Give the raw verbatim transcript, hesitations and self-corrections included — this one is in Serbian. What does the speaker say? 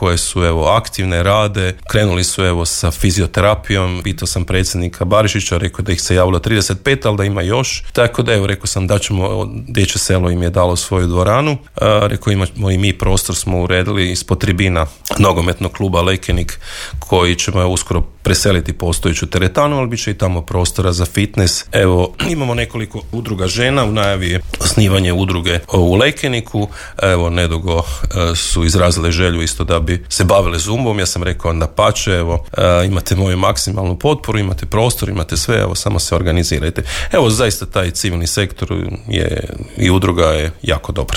koje su evo aktivne, rade, krenuli su evo sa fizioterapijom, pitao sam predsjednika Barišića, rekao da ih se javilo trideset pet, ali da ima još, tako da evo rekao sam da ćemo, Dječje selo im je dalo svoju dvoranu, a, rekao imamo i mi prostor smo uredili ispod tribina nogometnog kluba Lekenik koji ćemo uskoro preseliti postojeću teretanu, ali bit će i tamo prostora za fitness. Evo, imamo nekoliko udruga žena, u najavi je osnivanje udruge u Lekeniku, evo, nedugo su izrazile želju isto da bi se bavile zumbom, ja sam rekao da pače, evo, imate moju maksimalnu potporu, imate prostor, imate sve, evo, samo se organizirajte. Evo, zaista taj civilni sektor je, i udruga je jako dobar.